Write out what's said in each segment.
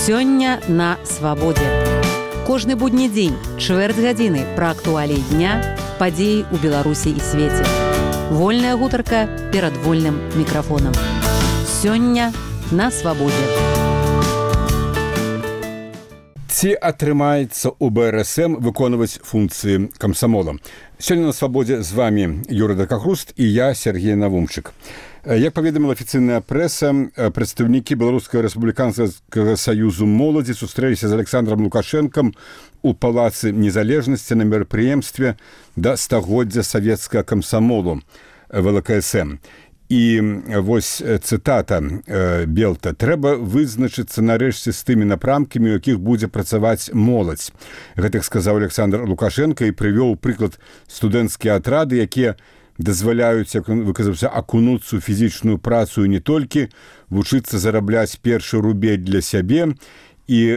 Сёння на свабодзе. Кожны будні дзень, чвэрць гадзіны пра актуаліі дня, падзеі ў Беларусі і свеце. Вольная гутарка перад вольным мікрафонам. Сёння на свабодзе. Ці атрымаецца ў БРСМ выконваць функцыі камсамола? Сёння на свабодзе з вами Юрий Дакахруст і я, Сергей Навумчык. Як паведаміла афіцыйная прэса, прадстаўнікі Беларускага рэспубліканскага саюзу моладзі сустрэліся з Александром Лукашэнкам у Палацы Незалежнасці на мерапрыемстве да стагоддзя савецкага камсамолу ВЛКСМ. І вось цытата Белта: «Трэба вызначыцца нарэшце з тымі напрамкамі, у якіх будзе працаваць моладзь». Гэтак сказаў Александр Лукашенко і прывёў прыклад студэнцкія атрады, якія дазваляюць, як ён выказаўся, акунуцца ў фізічную працу і не толькі, вучыцца зарабляць першы рубель для сябе і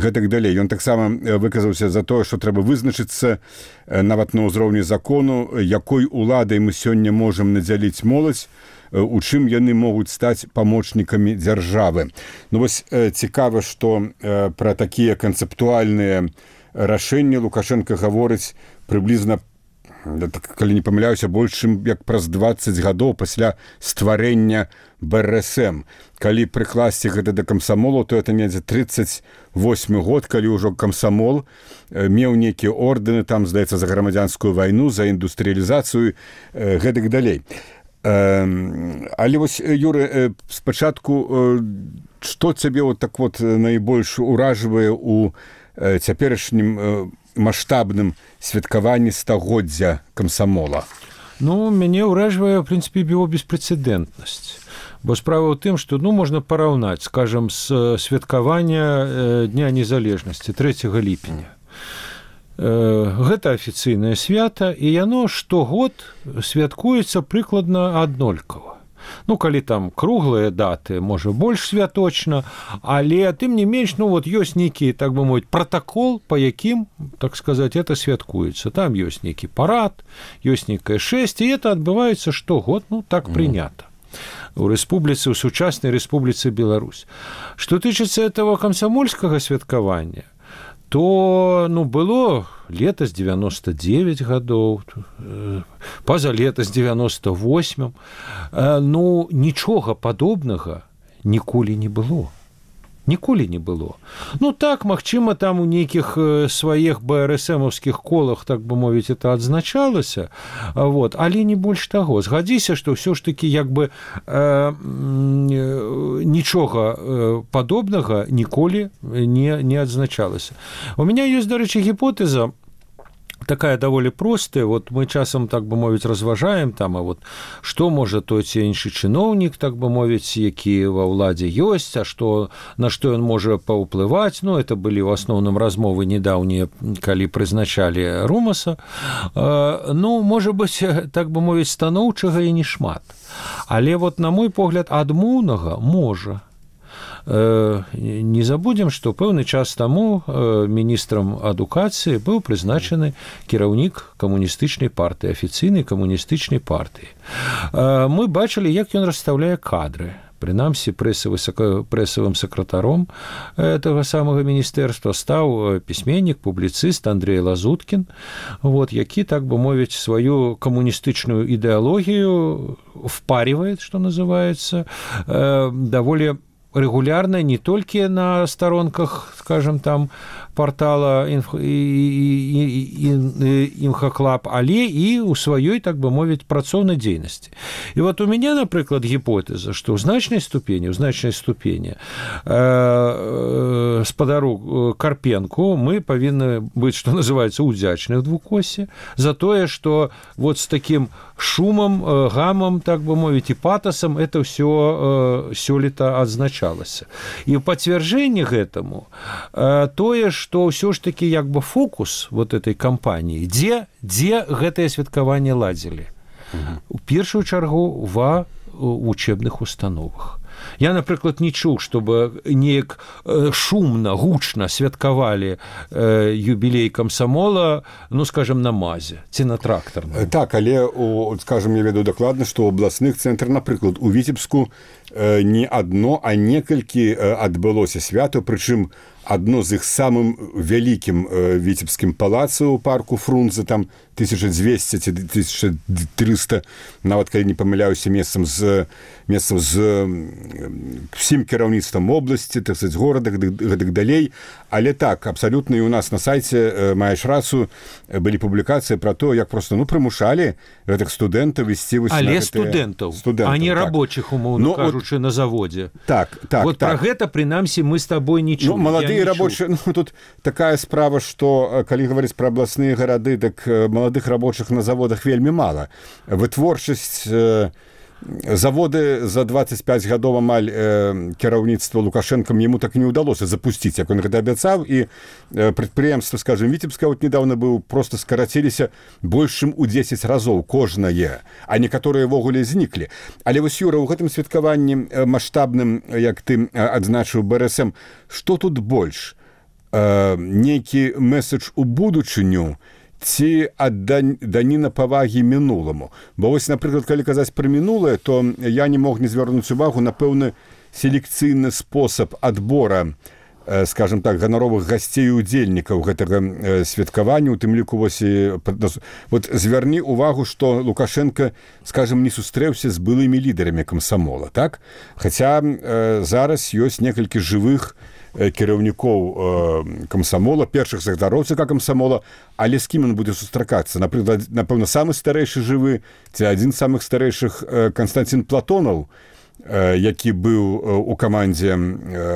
гэтак далей. Ён таксама выказаўся за тое, што трэба вызначыцца нават на ўзроўні закону, якой уладай мы сёння можам надзяліць моладзь, у чым яны могуць стаць памочнікамі дзяржавы. Ну вось цікава, што пра такія канцэптуальныя рашэнні Лукашенко гаворыць прыблізна, калі не памыляюся, больш чым як праз 20 гадоў пасля стварэння БРСМ. Калі прыкласці гэта да камсамолу, то это недзе 38 год, калі ўжо камсамол меў нейкія ордэны, там, здаецца, за грамадзянскую вайну, за індустрыялізацыю, гэтак далей. Але вось, Юры, спачатку, што цябе вот так вот найбольш уражвае у цяперашнім маштабным святкаванні стагоддзя камсамола? Ну, мяне ўражвае, в прынцыпе, его беспрэцэдэнтнасць. Бо справа ў тым, што можна параўнаць, скажам, з святкавання Дня незалежнасці 3 ліпеня. Гэта афіцыйнае свята, і яно штогод святкуецца прыкладна аднолькава. Ну, калі там круглыя даты, можа, больш святочна, але тым не менш, ну, вот ёсць нейкі, так бы мовіць, протакол, па якім, так сказаць, это святкуецца. Там ёсць нейкі парад, ёсць нейкае шэсце, і это адбываецца штогод, ну, так прынята. У рэспубліцы, у сучаснай рэспубліцы Беларусь. Што тычыцца этого камсамольскага святкавання, то, ну, было лета з 99 гадоў, паза лета з 98. Ну, нічога падобнага ніколі не было. Ніколі не было. Ну, так, магчыма, там у нейкіх сваіх БРСМаўскіх колах, так бы мовіць, это адзначалася, вот, але не больш таго. Згадзіся, што ўсё ж такі, як бы, нічога падобнага ніколі не адзначалася. У мяне ёсць, дарэчы, гіпотэза, такая даволі простая, вот мы часам, так бы мовіць, разважаем там, а вот што можа той ці іншы чыноўнік, так бы мовіць, які ва ўладзе ёсць, а што, на што ён можа паўплываць. Ну, это былі ў асноўным размовы недаўнія, калі прызначалі Румаса. Ну, можа быць, так бы мовіць, станоўчага і не шмат. Але вот, на мой погляд, адмоўнага можа. Не забудзем, што пэўны час таму міністрам адукацыі быў прызначаны кіраўнік камуністычнай партыі, афіцыйнай камуністычнай партыі. Мы бачылі, як ён расстаўляе кадры. Прынамсі, прэсавым сакратаром этого самага міністэрства стаў пісьменнік, публіцыст Андрей Лазуткін, вот, які, так бы мовіць, сваю камуністычную ідэалогію впаривает, што называецца, даволі регулярно, не толькі на сторонках, скажем, там, портала Імхаклаб, але і ў сваёй, так бы мовіць, працоўнай дзейнасці. І вот у мяне, напрыклад, гіпотэза, што ў значнай ступені спадару Карпенку мы павінны быць, што называецца, удзячны ў двукосе за тое, што вот з такім шумам, гамам, так бы мовіць, і патасам это ўсё сёлета адзначалася. І ў пацвярджэнні гэтаму тое, што ўсё ж такі як бы фокус вот этой кампаніі, дзе гэтае святкаванне ладзілі? У першую чаргу ва вучэбных установах. Я, напрыклад, не чуў, чтобы неяк шумна, гучна святкавалі юбілей камсамола, ну, скажем, на МАЗе ці на трактарным. Так, але, скажем, я ведаю дакладна, што ў абласных цэнтрах, напрыклад, у Віцебску не адно, а некалькі адбылося свята, прычым адно з іх самым вялікім віцебскім палацы ў парку Фрунзе, там 1200 ці 1300, нават калі не памыляюся, месцам з усім кіраўніцтвам обласці, так сказаць, горада, гэтак далей. Але так, абсалютна і у нас на сайце, маеш рацыю, былі публікацыі пра то, як проста, ну, прымушалі гэтых студэнтаў ісці вось на але гэтыя... студэнтаў, а не рабочых, умоўна кажучы, на заводзе. Так. Вот пра гэта, прынамсі, мы з табой не чуем. Ну, маладыя рабочыя, ну, тут такая справа, што, калі гаварыць пра абласныя гарады, так маладых рабочых на заводах вельмі мала. Вытворчасць... Заводы за 25 гадоў амаль кіраўніцтва Лукашэнкам яму так не ўдалося запусціць, як он гэта абяцаў, і прадпрыемства, скажем, Віцебска вот недавно быў, просто скараціліся больш чым у 10 разоў кожнае, а некаторыя ввогуле зніклі. Але вось, Юра, у гэтым святкаванні маштабным, як ты адзначыў, БРСМ, што тут больш? Нейкі месседж у будучыню ці даніна павагі мінуламу. Бо вось, напрыклад, калі казаць пра мінулае, то я не мог не звярнуць увагу на пэўны селекцыйны спосаб адбора, скажем так, ганаровых гасцей і удзельнікаў гэтага святкавання, у тым ліку вось, вот звярні увагу, што Лукашенко, скажем, не сустрэўся з былымі лідарамі камсамола, так? Хаця зараз ёсць некалькі жывых кіраўнікоў камсамола, першых загдароўцаў камсамола, але з кім ён будзе сустракацца? Напэўна, самы старэйшы жывы, ці адзін з самых старэйшых Канстантин Платонаў, які быў у камандзе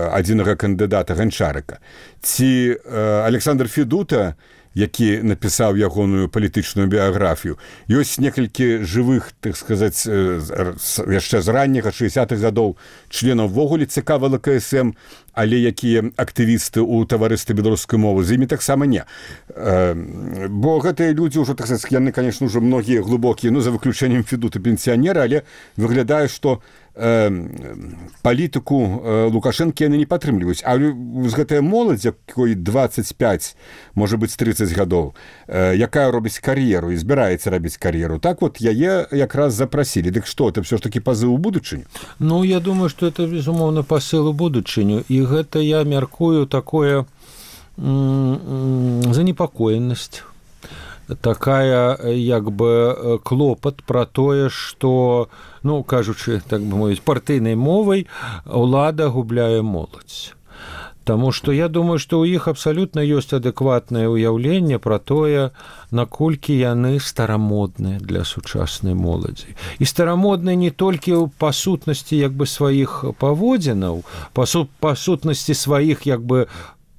адзінага кандыдата Ганчарыка, ці Александр Федута, які напісаў ягоную палітычную біяграфію. Ёсць некалькі жывых, так сказаць, яшчэ з ранняга 60-х гадоў членаў ввогуле ЦК ВЛКСМ, але якія актывісты ў таварыстве беларускай мовы, з імі таксама не. Бо гэтыя людзі ўжо, так сказаць, яны, конечно, ўжо многія глыбокія, ну, за выключэннем Федута пенсіянера, але выглядае, што палітыку Лукашэнкі яны не падтрымліваюць. А з гэтая моладзь, якой 25, можа быць, 30 гадоў, якая робіць кар'еру і збіраецца рабіць кар'еру, так вот яе якраз запрасілі. Дык што, это ўсё ж такі пазыў у будучыню? Ну, я думаю, што это, безумоўна, пасыл у будучыню. І гэта, я мяркую, такое занепакоенасць. Такая, як бы, клопат пра тое, што, ну, кажучы, так бы мовіць, партыйнай мовай, ўлада губляе моладзь. Таму што я думаю, што ў іх абсалютна ёсць адэкватнае ўяўленне пра тое, наколькі яны старамодныя для сучаснай моладзі. І старамодныя не толькі па сутнасці, як бы, сваіх паводзінаў, па сутнасці сваіх, як бы,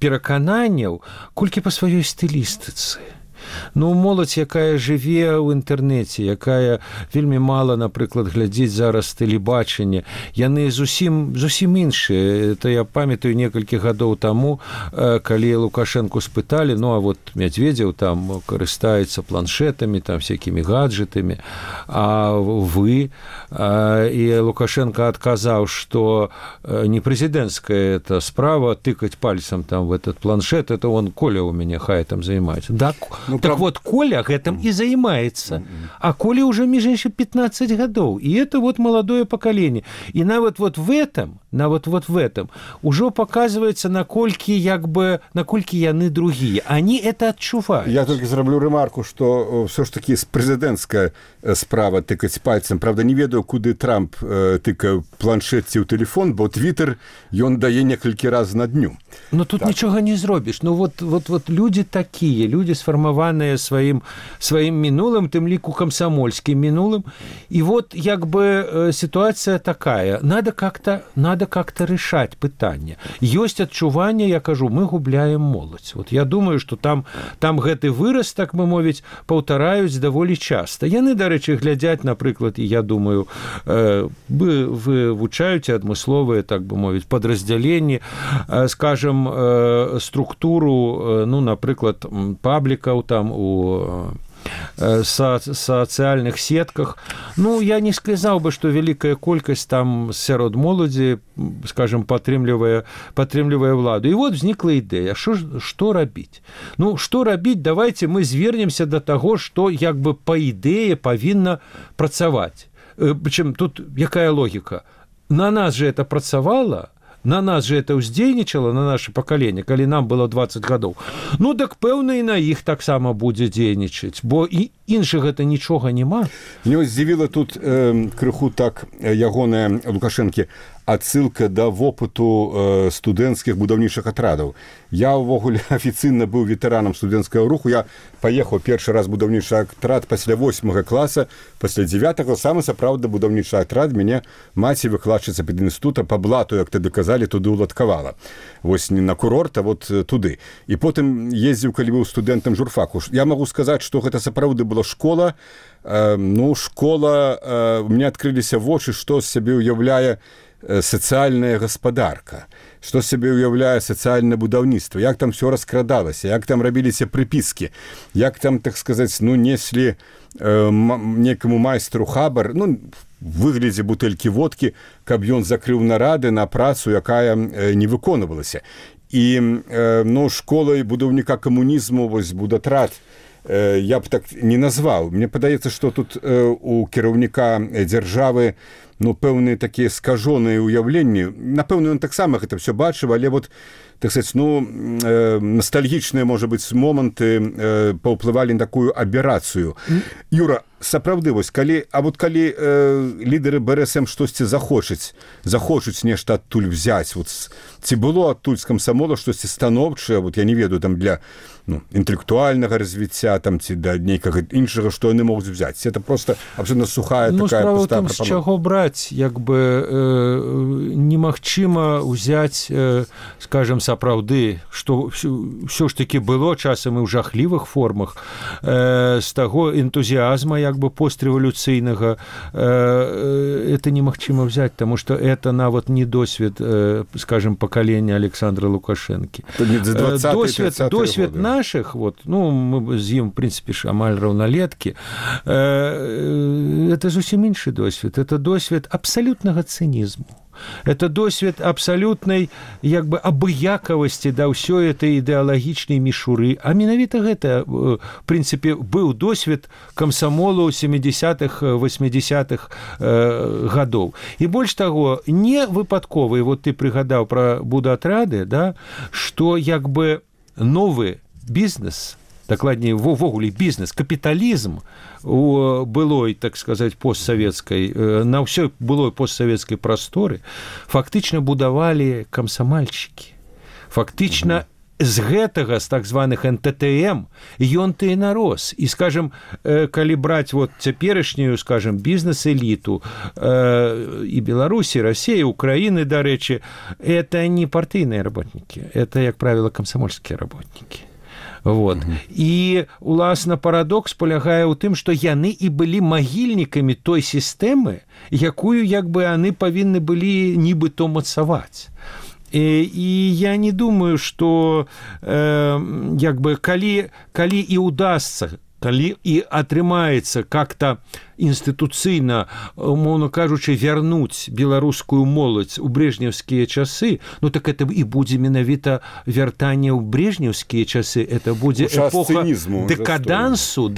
перакананняў, колькі па сваёй стылістыцы. Ну, моладзь, якая жыве ў інтэрнэце, якая вельмі мала, напрыклад, глядзіць зараз тэлебачанне, яны зусім іншыя. Это я памятаю некалькі гадоў таму, калі Лукашэнку спыталі, ну, а вот Мядзведзеў там карыстаецца планшетамі, там всякімі гаджетамі, а вы? І Лукашенко адказаў, што не прэзідэнцкая эта справа тыкаць пальцам там в этот планшет, это он, Коля у мяне, хай там займаецца. Да, ну, так вот, Коля гэтым і займаецца. А Коле уже, між іншым, 15 гадоў. І это вот маладое пакаленне. І нават вот в этом ужо паказваецца, наколькі, як бы, наколькі яны другія. Они это адчуваюць. Я толькі зраблю рэмарку, што ўсё ж такі прэзідэнцкая справа тыкаць пальцам. Правда, не ведаю, куды Трамп тыкае планшет ці ў тэлефон, бо Твиттер ён дае некалькі раз на дню. Ну, тут так. Нічога не зробіш. Ну, вот людзі такія, людзі сфармаваныя сваім мінулым, тым ліку камсамольскім мінулым. І вот, як бы, сітуацыя такая. Надо как-то решать пытанне. Ёсць адчуванне, я кажу, мы губляем моладзь. Вот я думаю, што там гэты выраз, так бы мовіць, паўтараюць даволі часта. Яны, дарэчы, глядзяць, напрыклад, і я думаю, вывучаюць адмысловыя, так бы мовіць, падраздзяленні, скажем, структуру, ну, напрыклад, паблікаў там у сацыяльных сетках. Ну, я не сказаў бы, што вялікая колькасць там сярод моладзі, скажем, падтрымлівае ўладу. І вот узнікла ідэя, што рабіць? Ну, што рабіць? Давайте мы звернемся да таго, што як бы па ідэе павінна працаваць. Прычым тут якая логіка? На нас же это працавала, на нас же это ўздзейнічала, на наше пакаленне, калі нам было 20 гадоў. Ну, так пэўна і на іх таксама будзе дзейнічаць, бо і іншых гэта нічога няма. Мне здзівіла тут крыху так ягоная Лукашэнкі адсылка да вопыту студэнцкіх будаўнічых атрадаў. Я ўвогуле афіцыйна быў ветэранам студэнцкага руху. Я паехаў першы раз будаўнічы атрад пасля 8 класа, пасля 9-го самы сапраўдны будаўнічы атрад мяне маці выкладчыца педінстытута па блату, як тады казалі, туды ўладкавала. Вось не на курорт, а вот туды. І потым ездзіў, калі быў студэнтам журфаку. Я магу сказаць, што гэта сапраўды была школа. Ну, школа, у мяне адкрыліся вочы, што з сябе ўяўляе сацыяльная гаспадарка, што сябе ўяўляе сацыяльнае будаўніцтва, як там все раскрадалася, як там рабіліся прыпіскі, як там, так сказаць, ну, неслі некаму майстру хабар, ну, выглядзе бутэлькі водкі, каб ён закрыў нарады на працу, якая не выконвалася. І, ну, школай будаўніка камунізму, вось будатрад, я б так не назваў. Мне падаецца, што тут у кіраўніка дзяржавы, ну, пэўныя такія скажоныя ўяўленні. Напэўна, ён таксама гэта все бачыў, але вот, так сказать, ну, ностальгічныя, можа быць, моманты паўплывалі на такую аберацыю. Юра, сапраўды, вось, калі лідары БРСМ штосьці захочуць нешта адтуль взяць, вот, ці было адтуль з камсамола штосьці станоўчае, вот, я не ведаю, там, для інтэлектуальнага развіцця, там, ці да нейкага іншага, што яны могуць взяць. Это просто абсолютно сухая такая пустая прапанова. З чаго браць, як бы немагчыма ўзяць, скажем, сапраўды, што ўсё ж такі было часам і ў жахлівых формах, з таго энтузіазма, як бы постреволюцыйнага, это немагчыма взять, потому что это нават не досвед, скажем, поколения Александра Лукашенки. Досвед наших, вот, ну, мы з ім, в принципе, амаль раўналеткі, это зусім іншы досвед. Это досвед абсолютнага цынізму. Это досвед абсолютной, як бы, абыякавасці да ўсёй этой ідэалагічнай мішуры. А менавіта гэта, в принципе, быў досвед камсамолу 70-х, 80-х гадоў. І больш таго, не выпадкова, і вот ты прыгадаў пра будатрады, да, што, як бы, новы бізнес, дакладней, ввогуле бізнес, капіталізм у былой, так сказаць, постсавецкай, на ўсёй былой постсавецкай прасторы фактычна будавалі камсамальшчыкі. Фактычна з гэтага, з так званых НТТМ, ён-то і нарос. І, скажем, калі браць вот цяперашнюю, скажем, бізнес-эліту і Беларусі, России, Украины, дарэчы, это не партыйныя работнікі, это, як правило, камсамольскія работнікі. Вот. І, уласна, парадокс полягае ў тым, што яны і былі магільнікамі той сістэмы, якую, як бы, яны павінны былі нібыто мацаваць. І я не думаю, што, як бы, калі і удасца, калі і атрымаецца как-то інстытуцыйна, умоўна кажучы, вярнуць беларускую моладзь у брежневскія часы, ну так это і будзе менавіта вяртанне ў брежневскія часы, это будзе эпоха декадансу.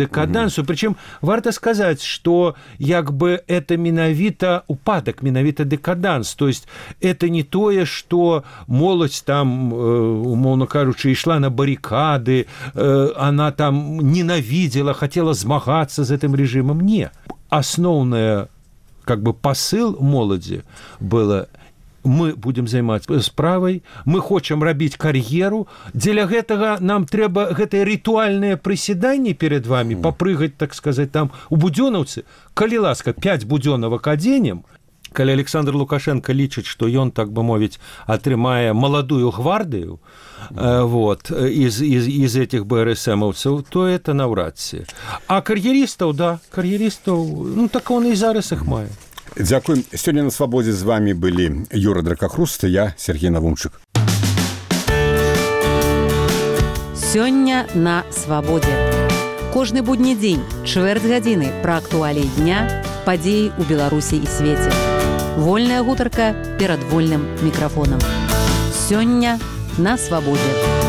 Причем варта сказаць, што як бы это менавіта упадак, менавіта декаданс, то есть это не тое, што моладзь там, умоўна кажучы, ішла на баррикады, она там ненавидела, хотела змагацца з гэтым режимом. Не. Основное, как бы, посыл моладзі было: мы будем займацца справай, мы хочам рабіць кар'еру, дзеля гэтага нам трэба гэтае ритуальнае прысяданне перед вами, попрыгаць, так сказать, там у будёнаўцы, калі ласка, 5 будёнавак адзенем. Калі Александр Лукашенко лічыць, што ён, так бы мовіць, атрымае маладую гвардыю, вот, из этих БРСМовцев, то это навряд ці. А кар'ерістаў, да, кар'ерістаў, ну так он і зараз іх мае. Дзякуй. Сёння на свабодзе з вами былі Юра Дракахруст, я Сергей Навумчык. Сёння на свабодзе. Кожны будні дзень, чвэрць гадзіны пра актуаліі дня, падзеі ў Беларусі і свеце. Вольная гутарка перад вольным мікрафонам. Сёння на свабодзе.